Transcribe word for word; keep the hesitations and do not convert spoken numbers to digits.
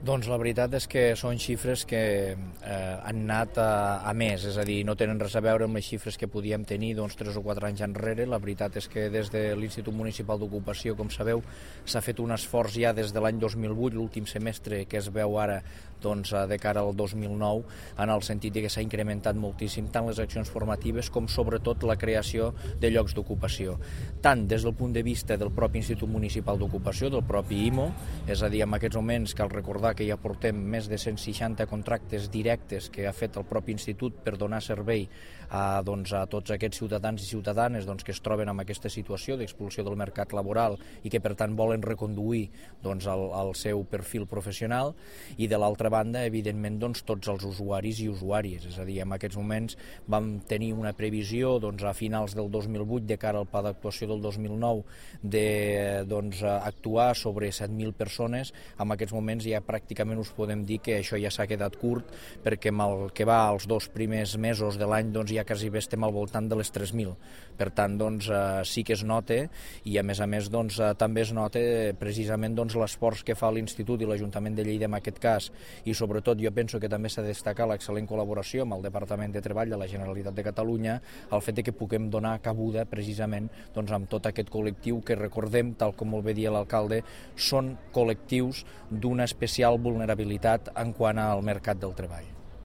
Doncs la veritat és que són xifres que eh, han anat a, a més, és a dir, no tenen res a veure amb les xifres que podíem tenir doncs, tres o quatre anys enrere. La veritat és que des de l'Institut Municipal d'Ocupació, com sabeu, s'ha fet un esforç ja des de l'any dos mil vuit, l'últim semestre que es veu ara doncs, de cara al dos mil nou, en el sentit de que s'ha incrementat moltíssim tant les accions formatives com sobretot la creació de llocs d'ocupació. Tant des del punt de vista del propi Institut Municipal d'Ocupació, del propi I M O, és a dir, en aquests moments cal recordar que ja portem més de cent seixanta contractes directes que ha fet el propi institut per donar servei a, doncs, a tots aquests ciutadans i ciutadanes doncs, que es troben en aquesta situació d'expulsió del mercat laboral i que per tant volen reconduir doncs, el, el seu perfil professional, i de l'altra banda, evidentment, doncs, tots els usuaris i usuàries. És a dir, en aquests moments vam tenir una previsió doncs, a finals del dos mil vuit de cara al pla d'actuació del dos mil nou de doncs, actuar sobre set mil persones. En aquests moments ja pràcticament us podem dir que això ja s'ha quedat curt, perquè amb el que va als dos primers mesos de l'any doncs, ja quasi bé estem al voltant de les tres mil. Per tant, doncs, eh, sí que es nota, i a més a més doncs, eh, també es nota precisament doncs, l'esforç que fa l'Institut i l'Ajuntament de Lleida en aquest cas, i sobretot jo penso que també s'ha de destacar l'excel·lent col·laboració amb el Departament de Treball de la Generalitat de Catalunya, el fet de que puguem donar cabuda precisament doncs, amb tot aquest col·lectiu que, recordem, tal com molt bé dia l'alcalde, són col·lectius d'una especial vulnerabilitat en quant al mercat del treball.